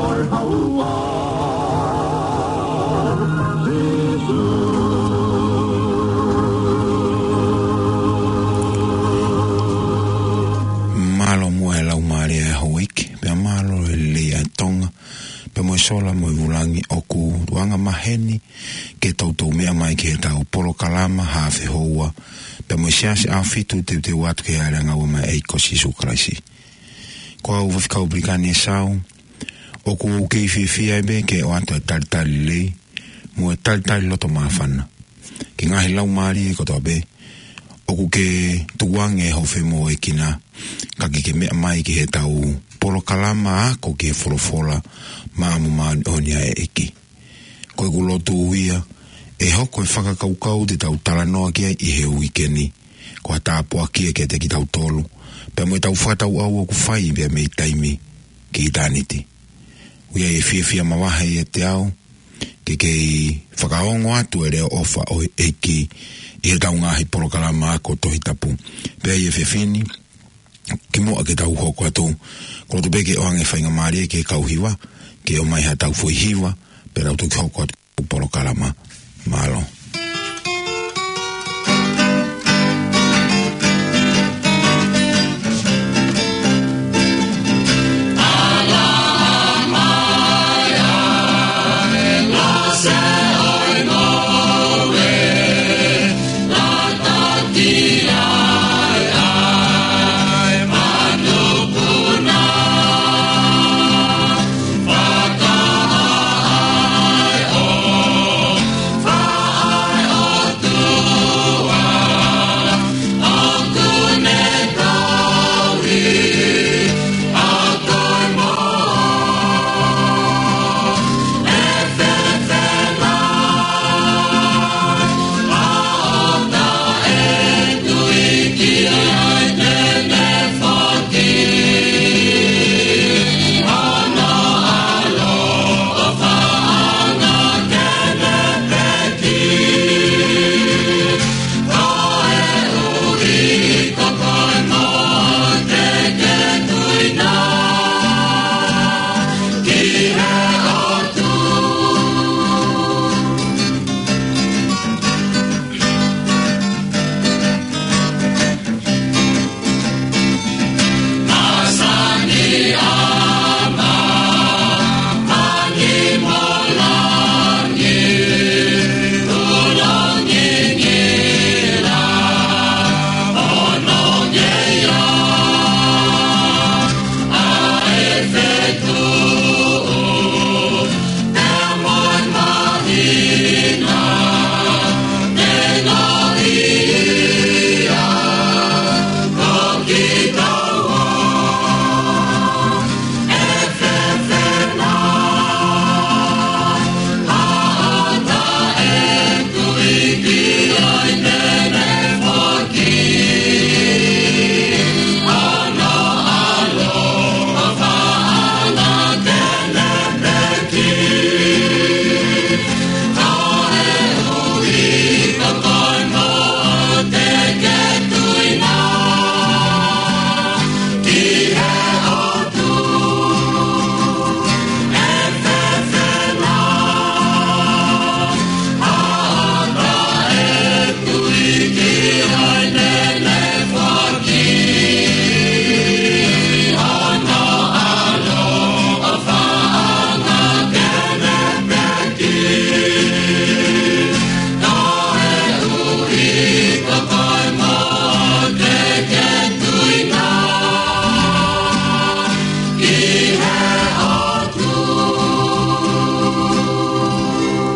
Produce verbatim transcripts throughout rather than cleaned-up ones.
Mālō muʻa e Laumālie ʻo e Houʻeiki, pea mālō e lelei ʻa e Tonga, pea mo e sola mo e vūlangi. ʻOku anga maheni ke toutou meʻa mai ki heʻetau polokalama Haafe Houa, pea mo e Siasi ʻAhofitu, teuteu atu ki he ʻAliʻanga ʻo e ʻEiki ko Sīsū Kalaisi. Ko au Faifekau Pilikani ʻEsau, ʻoku ou kei fiefia ai pē ke ʻoatu e talitali lelei mo e talitali loto māfana ki he ngaahi laumālie kotoa pē ʻoku ke tukuange hoʻo femoʻuekina, ka ke ke meʻa mai ki heʻetau polokalama ako ki he folofola māʻoniʻoni ʻa e ʻEiki. Ko ʻeku lotu ia ʻe hoko e fakakaukau te tau talanoa ki ai ʻi he uike ni ko ha tāpuaki ia kiate kitautolu, pea mo ʻetau fakatauʻau ʻoku fai pea mei taimi ki ʻitāniti. ʻOku ʻi ai e fiefia makehe ʻiate au ke kei fakaongo atu e leʻo ʻofa ʻo e ʻEiki ʻi heʻetau ngaahi polokalama ako Tohi Tapu. Pea ʻi he efiafi ni, kimuʻa ke tau hoko atu, ʻoku ou loto pē ke ʻoange faingamālie ki he kau hiva ke ʻomai haʻatau foʻi hiva, pea tau toki hoko atu ki he polokalama. Mālō.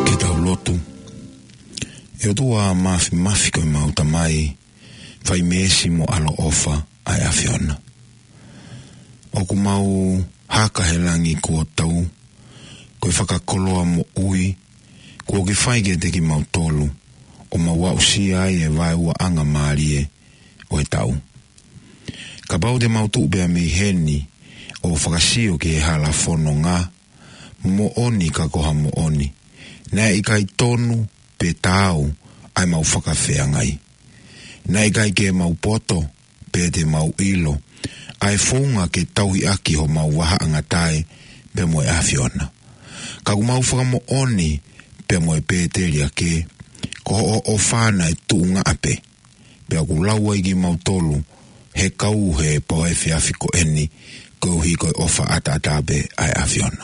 Ke tau lotu. ʻE ʻOtua Māfimafi, ko ʻemau Tamai fai meesi mo ʻaloʻofa ʻa e ʻAfiona, ʻoku mau haka he langi kuo tau, ko e fakakoloa moʻui kuo ke fai kiate kimautolu, ʻo mau aʻusia ai e vaeuaʻanga mālie ʻo e taʻu. Kapau te mau tuʻu pea mei heni ʻo fakasio ki he hala fononga, moʻoni ka ko ha moʻoni, naʻe ʻikai tonu pe taau ʻa ʻemau fakafeangai. Naʻe ʻikai ke mau poto pe te mau ʻilo ʻa e founga ke tauhi ʻaki homau vahaʻangatae pea mo e ʻAfiona. Ka ʻoku mau fakamoʻoni pea mo e Pēteli ake, ko hoʻo ʻofa naʻe tuʻunga pē, pea ʻoku lau ai kimautolu he kau he pō efiafi ko eni, koeʻuhi ko e ʻofa ʻataʻatā pē ʻa e ʻAfiona.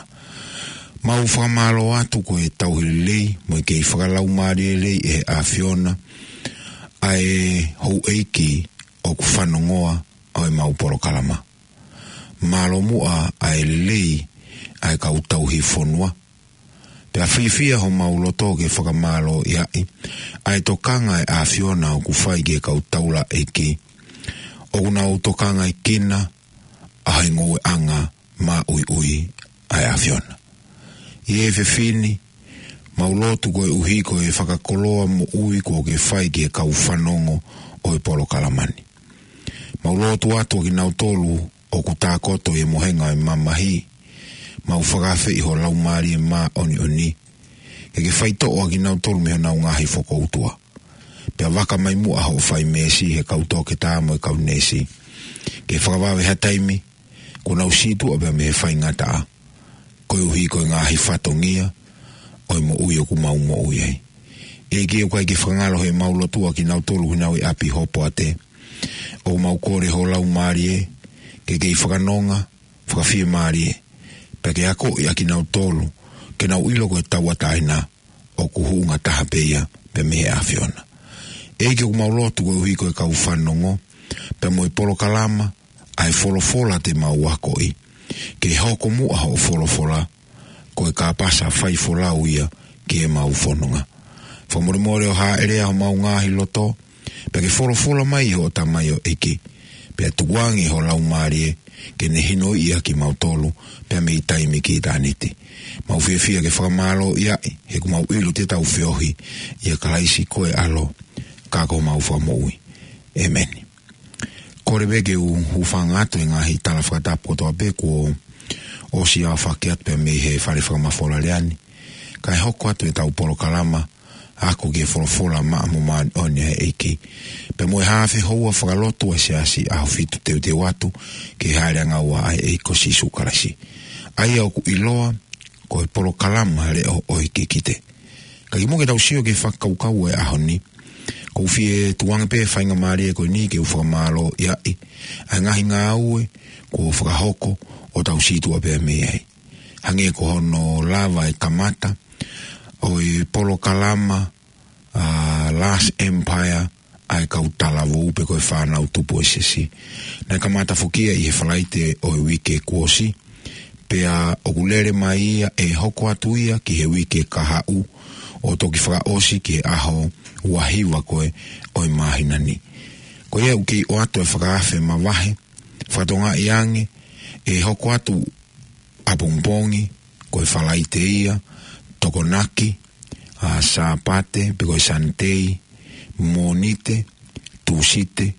Mau fakamālō atu ko e tauhi lelei mo e kei fakalaumālie lelei ʻe he ʻAfiona ʻa e houʻeiki ʻoku fanongoa ʻa e mau polokalama. Mālō muʻa ʻa e lelei ʻa e kau tauhi fonua. Pea fiefia homau loto ke fakamālōʻia ʻi ʻa e tokanga ʻa e ʻAfiona ʻoku fai ki he kau taulaʻeiki ʻoku nau tokangaʻi kinaua ʻa e ngoueʻanga maʻuiʻui ʻa e ʻAfiona. ʻI he efiafi ni, mau lotu koeʻuhi ko e fakakoloa moʻui kuo ke fai ki he kau fanongo ʻo e polokalama ni. Mau lotu atu ʻa kinautolu ʻoku tākoto ʻi he mohenga ʻo e mamahi, mau fakaafeʻi ho Laumālie Māʻoniʻoni ke ke faitoʻo ʻa kinautolu mei honau ngaahi fokoutua. Pea vaka mai muʻa hoʻo fai meesi he kau toketā mo e kau neesi, ke fakavave ha taimi kuo nau sītuʻa pea mei he faingataʻa, koeʻuhi ko e ngaahi fatongia ʻo e moʻui ʻoku mau moʻui ai. ʻEiki, ʻoku ʻikai ke fakangalo heʻemau lotu ʻa kinautolu ʻoku nau ʻi ʻapi hopoate. ʻOku mau kole ho Laumālie ke kei fakanonga, fakafiemālie, pea ke akoʻi ʻa kinautolu ke nau ʻilo ko e tauʻatāina ʻoku huʻunga taha pē ia pea mei he ʻAfiona. ʻEiki, ʻoku mau lotu koeʻuhi ko e kau fanongo pea mo e polokalama ʻa e Folofola Te Mau Akoʻi, ke hoko muʻa hoʻo folofola ko e kāpasa faifolau ia ki heʻemau fononga. Fakamolemole ʻo hāʻele ʻa homau ngaahi loto, pea ke folofola mai ʻi hoʻo tamaioʻeiki, pea tukuange ho Laumālie ke ne hinoʻi ʻa kimautolu pea mei taimi ki ʻitāniti. Mau fiefia ke fakamālōʻia ʻi he ʻoku mau ʻilo te tau feohi ʻia Kalaisi ko e ʻAlo, ka ko homau Fakamoʻui. ʻĒmeni. Kole pē ke u hūfanga atu he ngaahi tala fakatapu kotoa pē kuo ʻosi aofaki atu pea mei he fale fakamafola lea ni, kae hoko atu ʻetau polokalama Ako ki he Folofola Maʻa mo Māʻoniʻoni ʻa e ʻEiki, pea mo e haafe houa fakalotu ʻa e Siasi ʻAhofitu Teuteu Atu ki he Hāʻele ʻAngaua ʻa e ʻEiki ko Sīsū Kalaisi, ʻa ia ʻoku ʻiloa ko e polokalama Leʻo ʻo e Kikite. Ka kimuʻa ke tau sio ki he fakakaukau ʻo e ʻaho ni, ʻoku ou fie tukuange pē faingamālie ko eni ke u fakamālōʻia ʻi ʻa e ngaahi ngāue kuo fakahoko ʻo tau sītuʻa pea mei ai. Hangē ko hono lava e kamata ʻo e polokalama, ʻa, Last Empire ʻa e kau talavou pe ko e fānau tupu ʻo e siasi. Naʻe kamata foki ia ʻi he Falaite ʻo e uike kuo ʻosi, pea ʻoku lele mai ia ʻe hoko atu ia ki he uike kahaʻu ʻo toki fakaʻosi ki he ʻaho ua hiva ko ē ʻo e māhina ni. Ko ia ʻoku kei ʻoatu e fakaafe mavahe, fakatokangaʻi ange ʻe hoko atu ʻapongipongi, ko e Falaite ia, Tokonaki, ʻa, Sāpate, pe ko e Sanitei, Mōnite, Tūsite,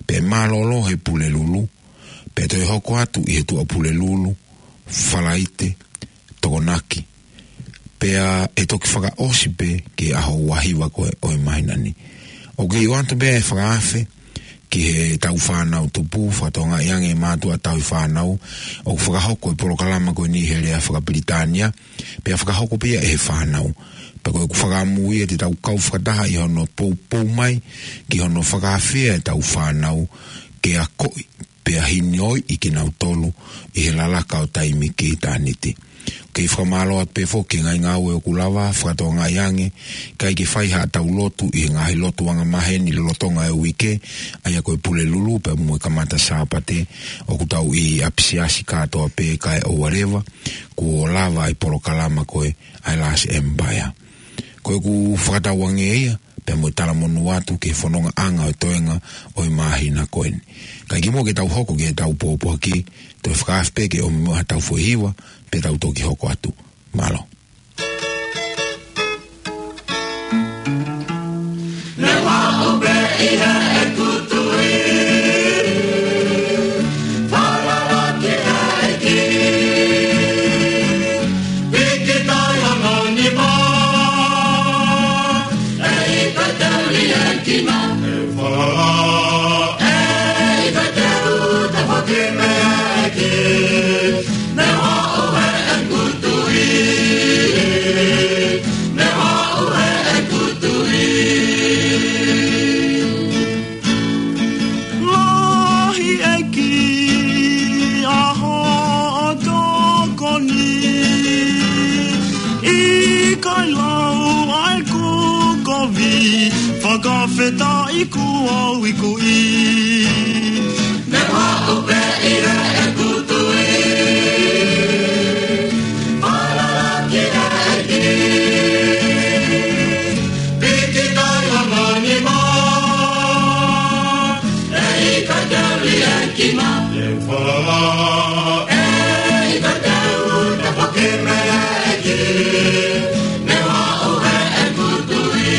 pea mālōlō he Pulelulu, pea toe hoko atu ʻi he Tuʻapulelulu, Falaite, Tokonaki, pea ʻe toki fakaʻosi pē ki he ʻaho ua hiva ko ē ʻo e māhina ni. ʻOku kei ʻoatu pē ʻa e fakaafe ki heʻetau fānau tupu, fakatokangaʻi ange ʻe mātuʻa tauhi fānau, ʻoku fakahoko e polokalama ko eni he lea fakapilitānia, pea fakahoko pē ia ʻe he fānau. Pea ko ʻeku fakaʻamu ia te tau kau fakataha ʻi hono poupou mai ki hono fakaafeʻi ʻetau fānau ke akoʻi pea hinoʻi kinautolu ʻi he lalaka ʻo taimi ki ʻitāniti. Kei fakamālō atu pē foki he ngaahi ngāue ʻoku lava, fakatokangaʻi ange, ʻikai ke fai haʻatau lotu ʻi he ngaahi lotu angamaheni lolotonga e uike, ʻa ia ko e Pulelulu pea mo e kamata Sāpate, ʻoku tau ʻi ʻapisiasi kātoa pē kae ʻoua leva kuo lava e polokalama ko ē ʻa e Last Empire. Ko ʻeku fakatauange ia, pea mo e talamonū atu ki he fonongaʻanga ʻo e toenga ʻo e māhina ko eni. Ka kimuʻa ke tau hoko ki heʻetau pōpoaki, toe fakaafe pē ke ʻomi muʻa haʻatau foʻi hiva, pea tau toki hoko atu. Mālō. Leva ʻo pē ʻi heʻeku tui, falala ki he ʻEiki. Piki tai hono nima, ʻe ʻikai te u liʻekina. Falala, ʻe ʻikai te u tafoki mei he ʻEiki. Leva ʻo pē Fakafetaʻi kuo u ikuʻi. Naʻe ʻoʻou pē ʻi heʻeku tui. Falala ki he ʻEiki. Piki tai hono nima. ʻE ʻikai te u liʻekina. Falala. ʻE ʻikai te u tafoki mei he ʻEiki. Naʻe ʻoʻou heʻeku tui.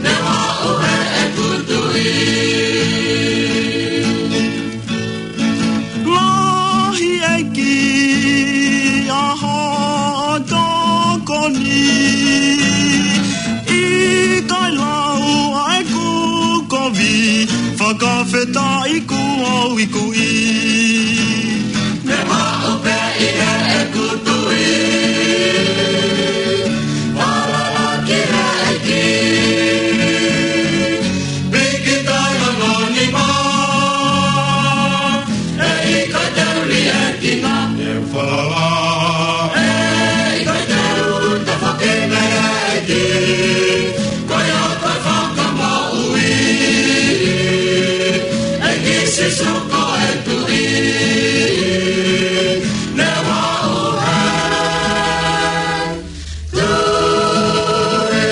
Naʻe ʻoʻou heʻeku tui. Lahi ʻEiki ʻa hoʻo tokoni. ʻIkai lau ʻa ʻeku kovi. Fakafetaʻi kuo u ikuʻi. Naʻe ʻoʻou pē ʻi heʻeku tui. Falala ki he ʻEiki. Piki tai hono nima. ʻE ʻikai te u liʻekina. Naʻe falala. ʻE ʻikai te u tafoki mei he ʻEiki. Ko ia ko e Fakamoʻui. ʻEiki Sīsū ko e Tuʻi. Naʻe ʻoʻou heʻeku tui.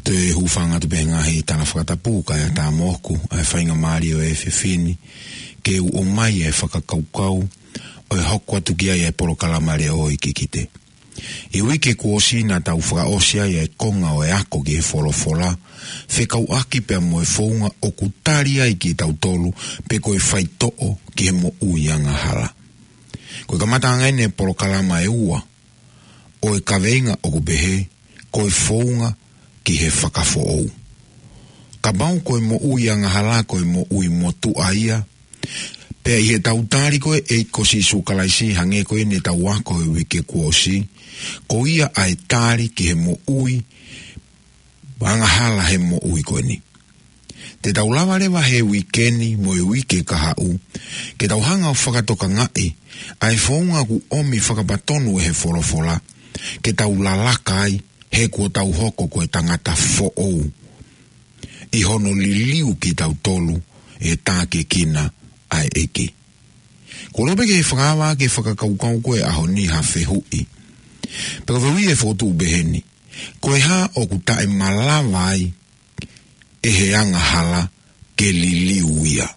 Toe hūfanga atu pē he ngaahi tala fakatapu kae ʻatā moʻoku ʻa e faingamālie ʻo e efiafi ni ke u ʻomai e fakakaukau ʻo e hoko atu ki ai e polokalama Leʻo ʻo e Kikite. ʻI he uike kuo ʻosi naʻa tau fakaʻosi ai e konga ʻo e ako ki he folofola, fekauʻaki pea mo e founga ʻoku tali ai kitautolu pe ko e faitoʻo ki he moʻui angahala. Ko e kamataʻanga eni e polokalama ʻe ua ʻo e kaveinga ʻoku pehē, ko e founga ki he fakafoʻou. Kapau ko e moʻui angahala ko e moʻui motuʻa ia, pea ʻi heʻetau tali ko ē ʻEiki ko Sīsū Kalaisi hangē ko eni ʻetau ako he uike kuo ʻosi, ko ia ʻa e tali ki he moʻui angahala he moʻui ko eni. Te tau lava leva he uike ni mo e uike kahaʻu ke tau hanga ʻo fakatokangaʻi ʻa e founga ʻoku ʻomi fakapatonu ʻe he folofola ke tau lalaka ai he kuo tau hoko ko e tangata foʻou ʻi hono liliu kitautolu ʻe he tākiekina ʻa e ʻEiki. Ko e lope ke fakaava ke fakakaukau ko e ʻaho ni ha fehuʻi. Pea ko e fehuʻi ʻe fokotuʻu pehē ni. Ko e hā ʻoku taʻemalava ai ʻe he angahala ke liliu ia?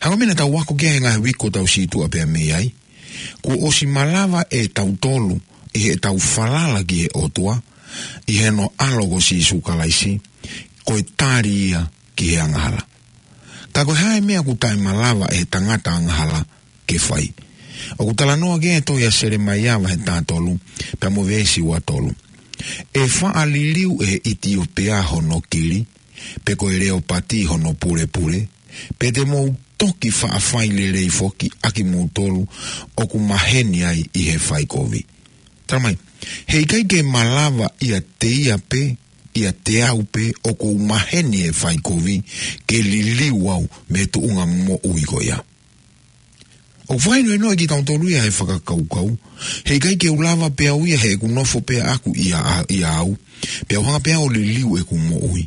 Hangē ko e meʻa naʻa tau ako ki ai he ngaahi uike kuo tau situʻa pea mei ai. Kuo ʻosi malava ʻe tautolu ʻi heʻetau falala ki he ʻOtua, ʻi heʻene ʻAlo ko Sīsū Kalaisi, ko e tali ia ki he angahala. Ka ko e hā e meʻa ʻoku taʻemalava ʻe he tangata angahala ke fai? ʻOku talanoa ki ai e tohi ʻa Selemaia vahe taha tolu, pea mo e veesi ua tolu. ʻE faʻa liliu ʻe he ʻItiopea hono kili, pe ko e leopati hono pulepule, pea te mou toki faʻa fai lelei foki ʻakimoutolu ʻoku maheni ai ʻi he faikovi. Tala mai, heʻikai ke malava ʻiate ia pē, ʻiate au pē, ʻoku ou maheni he faikovi, ke liliu au mei he tuʻunga moʻui ko ia. ʻOku fakahinohinoʻi kitautolu ia he fakakaukau, heʻikai ke u lava pē au ia heʻeku nofo pē ʻaʻaku ia, ʻia au, pea u hanga pē au ʻo liliu ʻeku moʻui.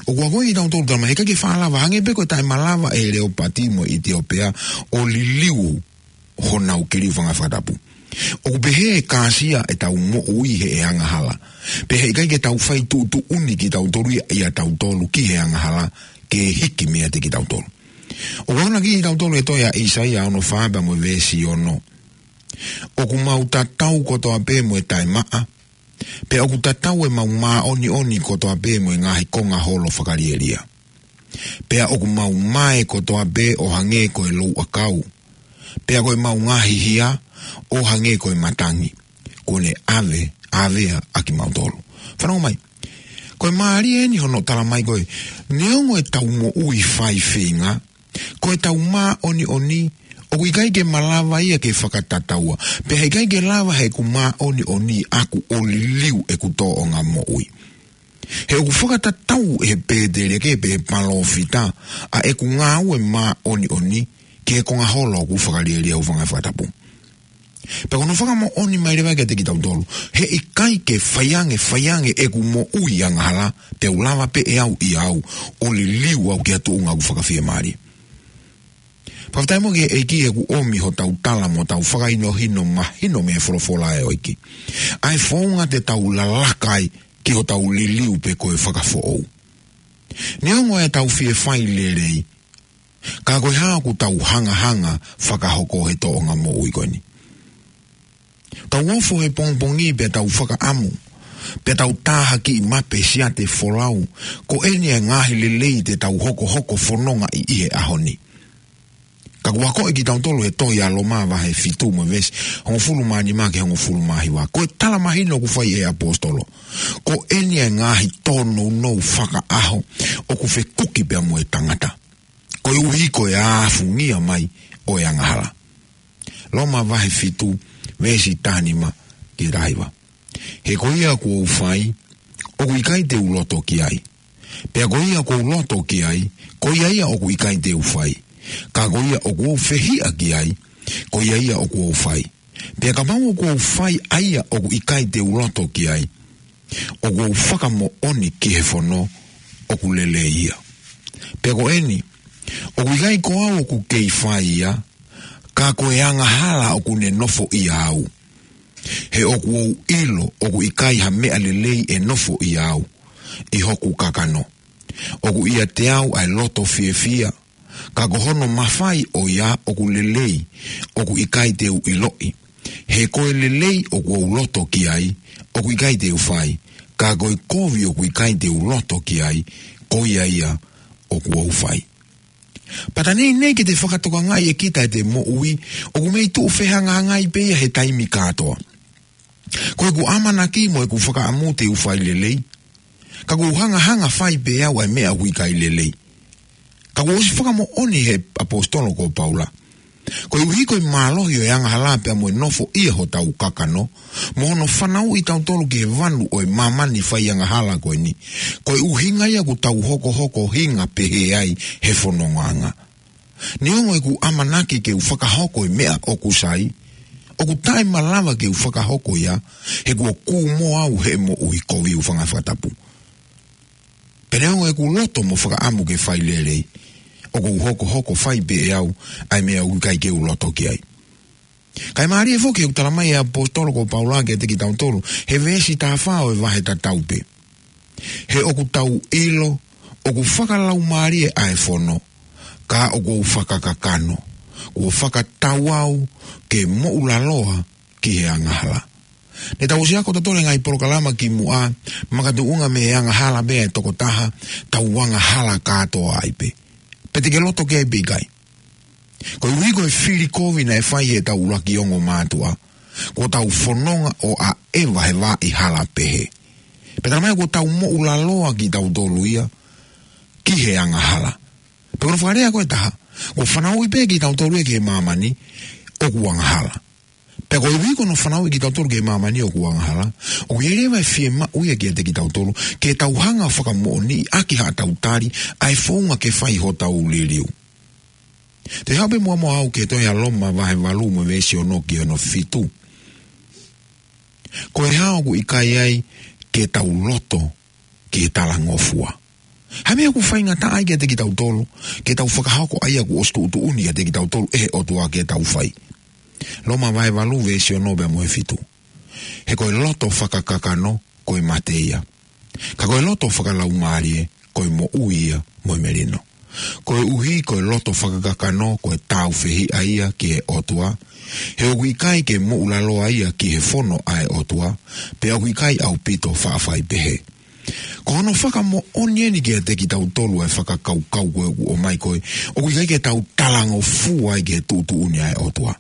ʻOku akoʻi kitautolu tala mai, heʻikai ke faʻa lava, hangē pē ko e taʻemalava ʻe he leopati mo e ʻItiopea ʻo liliu honau kili, fanga fakatapu. ʻOku pehē ʻe kāsia ʻetau moʻui he ʻe angahala. Pea heʻikai ke tau fai tuʻutuʻuni kitautolu ia, ʻia tautolu ki he angahala ke hiki meiate kitautolu. ʻOku akonaki kitautolu ʻe he tohi ʻa ʻAisea ono fā pea mo e veesi ono. ʻOku mau tatau kotoa pē mo e taʻemaʻa, pea ʻoku tatau ʻemau māʻoniʻoni kotoa pē mo e ngaahi konga holo fakalielia. Pea ʻoku mau mae kotoa pē ʻo hangē ko e louʻakau. Pea ko ʻemau ngaahi hia ʻo hangē ko e matangi. Kuo ne ʻave, ʻavea ʻa kimautolu. Fanongo mai. Ko e mālie eni hono tala mai ko e, neongo ʻetau moʻui fai feinga, ko ʻetau māʻoniʻoni, ʻoku ʻikai ke malava ia ke fakatataua. Pea heʻikai ke lava heʻeku māʻoniʻoni ʻaʻaku ʻo liliu ʻeku tōʻonga moʻui. He ʻoku fakatatau ʻe he pēteliake pe he palōfita ʻa ʻeku ngāue māʻoniʻoni ki he konga holo ʻoku fakalielia, fanga fakatapu. Pea ko hono fakamoʻoni mai leva kiate kitautolu, he ʻikai ke faiange, faiange ʻeku moʻui angahala, te u lava pē ʻe au ia au, ʻo liliu au ki ha tuʻunga ʻoku fakafiemālie. Fakafetaʻi mo e ʻEiki he kuo ʻomi hotau tala mo hotau fakahinohino mahino mei he folofola ʻa e ʻEiki. ʻA e founga te tau lalaka ai ki hotau liliu pe ko e fakafoʻou. Neongo ʻetau fie fai lelei, ka ko e hā ʻoku tau hangahanga fakahoko he tōʻonga moʻui ko eni? Tau ofo he pongipongi pea tau fakaʻamu, pea tau tāhakiʻi mape siate folau, ko eni e ngaahi lelei te tau hokohoko fononga ʻi he ʻaho ni. Ka kuo akoʻi kitautolu he tohi ʻa Loma vahe fitu mo e veesi hongofulu mā nima ki he hongofulu mā hiva. Ko e tala mahino ʻoku fai ʻe he ʻaposetolo. Ko eni e ngaahi tōnounou fakaʻaho ʻoku fekuki pea mo e tangata, koeʻuhi ko e afungia mai ʻo e angahala. Loma vahe fitu, veesi taha nima ki he taha hiva. He ko ia kuo u fai, ʻoku ʻikai te u loto ki ai. Pea ko ia kuo u loto ki ai, ko ia ia ʻoku ʻikai te u fai. Ka ko ia ʻoku ou fehiʻa ki ai, ko ia ia ʻoku ou fai. Pea kapau ʻoku ou fai ʻa ia ʻoku ʻikai te u loto ki ai, ʻoku ou fakamoʻoni ki he fono ʻoku lelei ia. Pea ko eni, ʻoku ʻikai ko au ʻoku kei fai ia, ka ko e angahala ʻoku ne nofoʻia au. He ʻoku ou ʻilo ʻoku ʻikai ha meʻa lelei ʻe nofoʻia au ʻi hoku kakano. ʻOku ʻiate au ʻa e loto fiefia, ka ko hono mafai ʻo ia ʻoku lelei, ʻoku ʻikai te u ʻiloʻi. He ko e lelei ʻoku ou loto ki ai, ʻoku ʻikai te u fai, ka ko e kovi ʻoku ʻikai te u loto ki ai, ko ia ia ʻoku ou fai. Pea tā neʻineʻi ke te fakatokangaʻi ʻe kita ʻete moʻui, ʻoku mei tuʻu fehangahangai pē ia he taimi kātoa. Ko ʻeku ʻamanaki mo ʻeku fakaʻamu te u fai lelei, ka kuo u hangahanga fai pē au ʻa e meʻa ʻoku ʻikai lelei. Ka kuo ʻosi fakamoʻoni he ʻaposetolo ko Paula, koeʻuhi ko e mālohi ʻo e angahala pea mo e nofoʻia hotau kakano, mo hono fanauʻi kitautolu ki he vanu ʻo e māmani faiangahala ko eni, ko e ʻuhinga ia ʻoku tau hokohoko hinga pehē ai he fonongaʻanga. Neongo ʻeku ʻamanaki ke u fakahoko e meʻa ʻoku sai, ʻoku taʻemalava ke u fakahoko ia, he kuo kū mo au he moʻui kovi, ʻoku fanga fakatapu. Pea neongo ʻeku loto mo fakaʻamu ke fai lelei, ʻoku ou hokohoko fai pē ʻe au ʻa e meʻa ʻoku ʻikai ke u loto ki ai. Kae mālie foki ʻoku tala mai ʻe he ʻaposetolo ko Paula kiate kitautolu he veesi taha fā ʻo e vahe tatau pē. He ʻoku tau ʻilo ʻoku fakalaumālie ʻa e fono, ka ʻoku ou fakakakano, kuo fakatau au ke moʻulaloa ki he angahala. Ne tau ʻosi ako tautolu he ngaahi polokalama kimuʻa, makatuʻunga mei he angahala pē ʻa e tokotaha, tau angahala kātoa ai pē. Pea te ke loto ki ai pe ʻikai. Koeʻuhi ko e fili kovi naʻe fai ʻe heʻetau ʻuluaki ongo mātuʻa, kuo tau fononga ʻo ʻaʻeva he vaʻa hala pehē. Pea tala mai kuo tau moʻulaloa kitautolu ia ki he angahala. Pea ko hono fakalea ko ē ʻe taha, kuo fanauʻi pē kitautolu ia ki he māmani ʻoku angahala. Pea koeʻuhi ko hono fanauʻi kitautolu ki he māmani ʻoku angahala, ʻoku ʻi ai leva e fiemaʻu ia kiate kitautolu ke tau hanga ʻo fakamoʻoniʻaki haʻatau tali ʻa e founga ke fai hotau liliu. Te u haʻu pē muʻa muʻa au ki he tohi ʻa Loma vahe valu mo e veesi ono ki hono fitu. Ko e hā ʻoku ʻikai ai ke tau loto ki he talangofua? Hā e meʻa ʻoku faingataʻa ai kiate kitautolu ke tau fakahoko ʻa ia kuo ʻosi tuʻutuʻuni kiate kitautolu ʻe he ʻOtua ke tau fai? Loma vahe valu veesi ono pea mo e fitu. He ko e loto fakakakano ko e mate ia, ka ko e loto fakalaumālie ko e moʻui ia mo e melino. Koeʻuhi ko e loto fakakakano ko e tāufehiʻa ia ki he ʻOtua, he ʻoku ʻikai ke moʻulaloa ia ki he fono ʻa e ʻOtua, pea ʻoku ʻikai ʻaupito faʻa fai pehē. Ko hono fakamoʻoni eni kiate kitautolu ʻa e fakakaukau ko ē ʻoku ʻomai ko ē ʻoku ʻikai ke tau talangofua ai ki he tuʻutuʻuni ʻa e ʻOtua.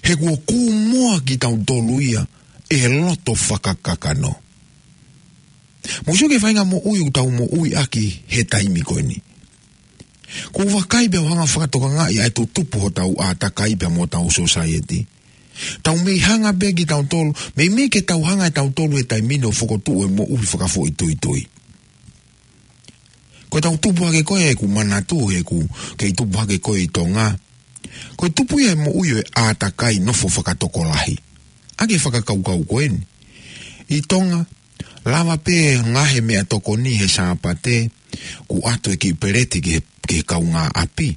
He kuo kū moa kitautolu ia ʻe he loto fakakakano. Mou sio ki he faʻahinga moʻui ʻoku tau moʻui ʻaki he taimi ko eni. Ko u vakai pea u hanga ʻo fakatokangaʻi ʻa e tutupu hotau ʻātakai pea mo hotau sōsaieti. Tau mei hanga pē kitautolu, meimei ke tau hanga ʻe tautolu he taimi ni ʻo fokotuʻu e moʻui fakafoʻituitui. Ko ʻetau tupu hake ko ē, ʻeku manatu he ʻoku kei tupu hake ko ē ʻi Tonga, Ko e tupu ia e moʻui ʻo e ʻātakai nofo fakatokolahi. ʻAki e fakakaukau ko eni. ʻI Tonga, lava pē ngaahi meʻatokoni he Sāpate, kuo ʻoatu e kiʻi peleti ki he, ki he kaungāʻapi,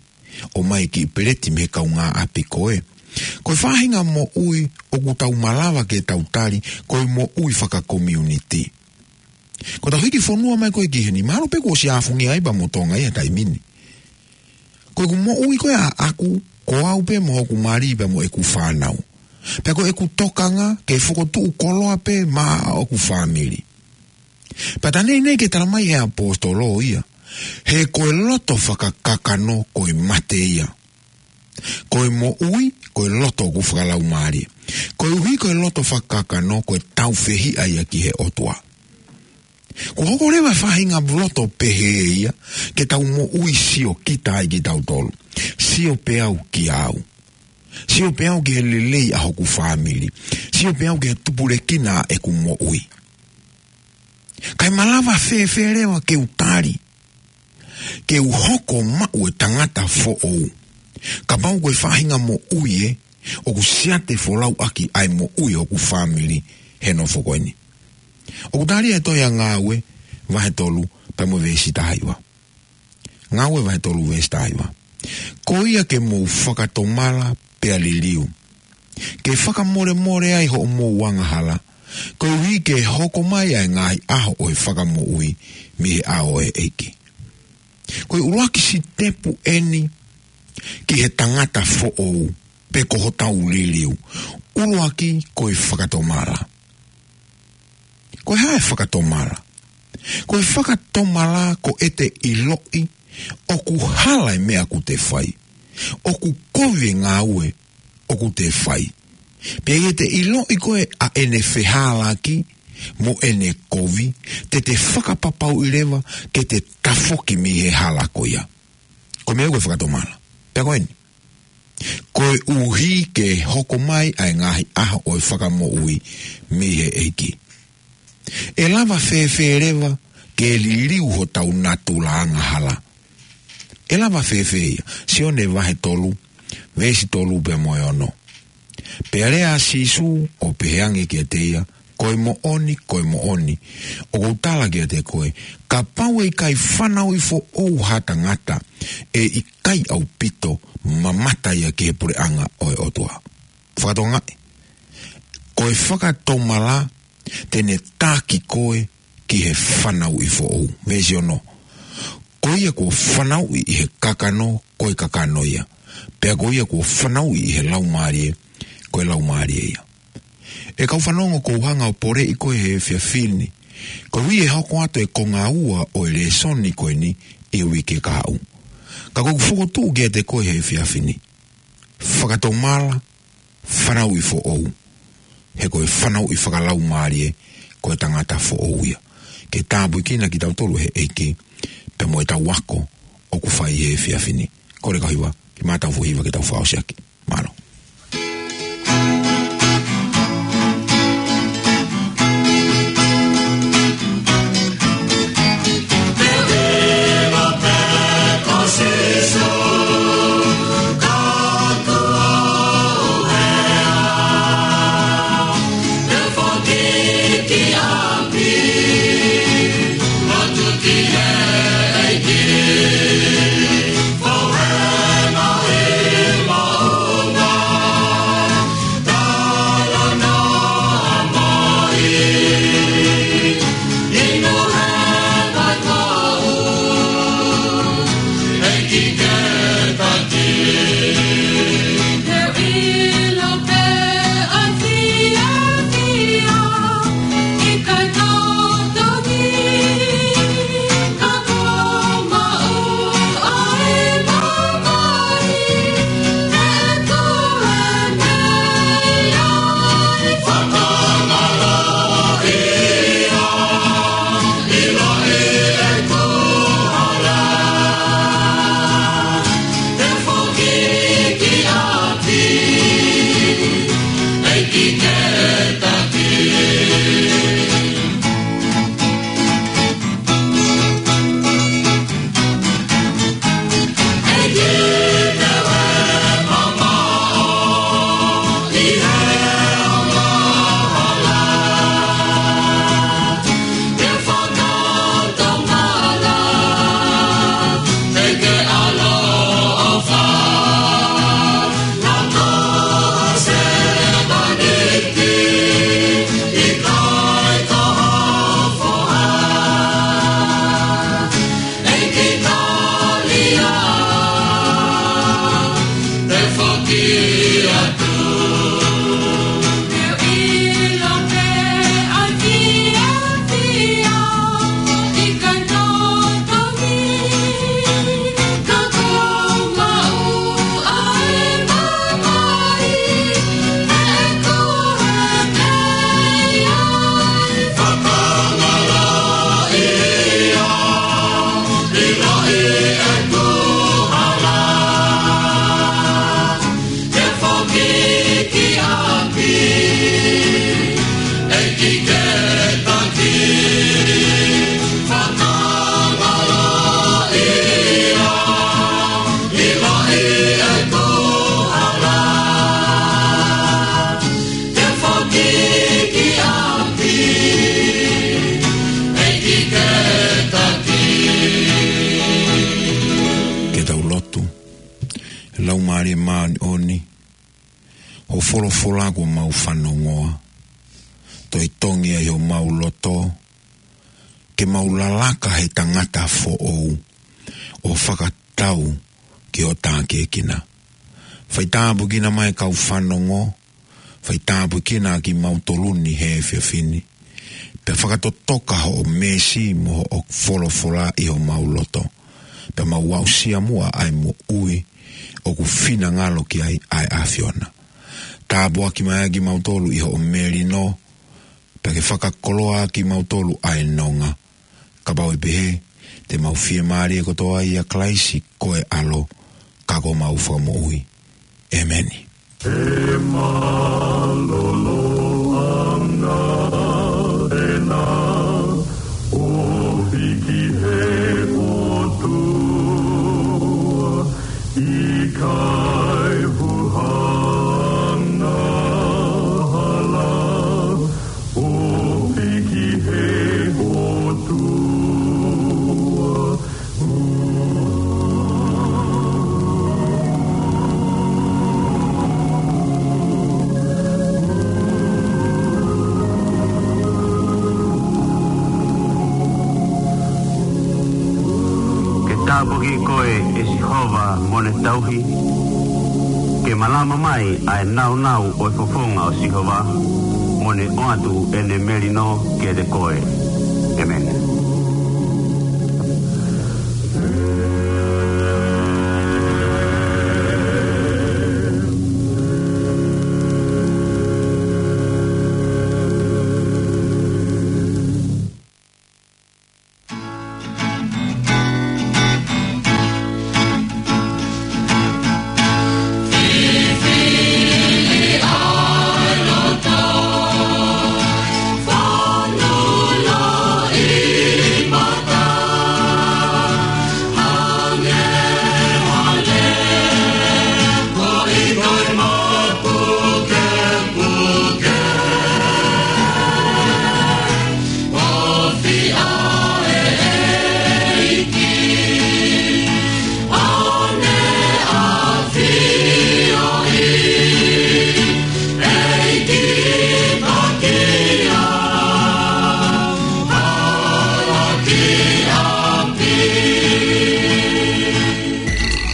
ʻomai e kiʻi peleti mei he kaungāʻapi ko ē. Ko e faʻahinga moʻui ʻoku tau malava ke tau tali, ko e moʻui fakakomiunitī. Ko ʻetau hiki fonua mai ko ē ki heni, mahalo pē kuo ʻosi ʻafungia ai pea mo Tonga ia he taimi ni. Ko ʻeku moʻui ko ē ʻaʻaku, ko au pē mo hoku mali pea mo ʻeku fānau. Pea ko ʻeku tokanga ke fokotuʻu koloa pē maʻa ʻoku fāmili. Pea tā neʻineʻi ke tala mai he ʻaposetolo ia, he ko e loto fakakakano ko e mate ia. Ko e moʻui, ko e loto ʻoku fakalaumālie. Koeʻuhi ko e loto fakakakano, ko e tāufehiʻa ia ki he ʻOtua. Kuo hoko leva e faʻahinga loto pehē ia, ke tau moʻui sio kita ai kitautolu. Sio pē au kia au. Sio pē au ki he lelei ʻa hoku fāmili. Sio pē au ki he tupulekina ʻeku moʻui. Kae malava fēfē leva ke u tali, ke u hoko maʻu e tangata foʻou. Kapau ko e faʻahinga moʻui ē, ʻoku siate folau ʻaki ʻa e moʻui hoku fāmili he nofo ko eni. ʻOku tali ʻe he tohi ʻa Ngāue, vahe tolu, pea mo e veesi taha hiva. Ngāue vahe tolu veesi taha hiva. Ko ia ke mou fakatomala pea liliu. Ke fakamolemole ai hoʻomou angahala. Koeʻuhi ke hoko mai ʻa e ngaahi ʻaho ʻo e fakamoʻui mei he ʻao ʻo e ʻEiki. Ko e ʻuluaki sitepu eni ki he tangata foʻou, pe ko hotau liliu. ʻUluaki ko e fakatomala. Ko e hā e fakatomala? Ko e fakatomala ko ʻete ʻiloʻi ʻoku hala e meʻa ʻoku te fai. ʻOku kovi e ngāue ʻoku te fai. Pea ʻi heʻete ʻiloʻi ko ē ʻa ʻene fehālaaki mo ʻene kovi, te te fakapapauʻi leva ke te tafoki mei he hala ko ia. Ko e meʻa ko e fakatomala. Pea ko eni. Koeʻuhi ke hoko mai ʻa e ngaahi ʻaho ʻo e fakamoʻui mei he ʻEiki. ʻE lava fēfē leva ke liliu hotau natula angahala? ʻE lava fēfē ia? Sione vahe tolu, veesi tolu pea mo e ono. Pea lea ʻa Sīsū ʻo pehē ange kiate ia, Ko e moʻoni, ko e moʻoni, ʻoku ou tala kiate koe, kapau ʻe ʻikai fanauʻi foʻou ha tangata, ʻe ʻikai ʻaupito mamata ia ki he puleʻanga ʻo e ʻOtua. Fakatokangaʻi, ko e fakatomala te ne taki koe ki he fanauʻi foʻou. Veesi ono. Ko ia kuo fanauʻi ʻi he kakano, ko e kakano ia. Pea ko ia kuo fanauʻi ʻi he laumālie, ko e laumālie ia. ʻE kau fanongo, ʻoku ou hanga ʻo poleʻi koe he efiafi ni. Koeʻuhi ʻe hoko atu e konga ua ʻo e lēsoni ko eni ʻi he uike kahaʻu. Ka ʻoku ou fokotuʻu kiate koe he efiafi ni. Fakatomala, fanauʻi foʻou. He ko e fanauʻi fakalaumālie, ko e tangata foʻou ia. Ke tāpuekina kitautolu ʻe he ʻEiki, pea mo ʻetau ako ʻoku fai he efiafi ni. Kole kau hiva, ke mātau foʻi hiva ke tau fakaʻosi ʻaki. Mālō. Ke tau lotu. Laumālie Māʻoniʻoni, hoʻo folofola kuo mau fanongoa, toe tongi ai homau loto, ke mau lalaka he tangata foʻou, ʻo fakatau ki hoʻo tākiekina. Faitāpuekina mai kau fanongo, faitāpuekina kimautolu ni he efiafi ni. Pea fakatotoka hoʻo meesi mo hoʻo folofola ʻi homau loto. Pea mau aʻusia muʻa ʻa e moʻui ʻoku finangalo ki ai ʻa e ʻAfiona. Tāpuaki mai kimautolu ʻi hoʻo melino, pea ke fakakoloa kimautolu ʻa e nonga. Kapau ʻe pehē, te mau fiemālie kotoa ʻia Kalaisi ko e ʻAlo, ka ko homau Fakamoʻui. ʻEmeni. He mālōlō ʻanga ʻena ʻo hiki he ʻOtua, ʻikai huhanga hala ʻo hiki he ʻOtua. Ke tāpuaki koe ʻe Sihova mo ne tauhi, ke malama mai ʻa e nāunau ʻo e fofonga ʻo Sihova, mo ne ʻoatu ʻene melino kiate koe. ʻEmeni.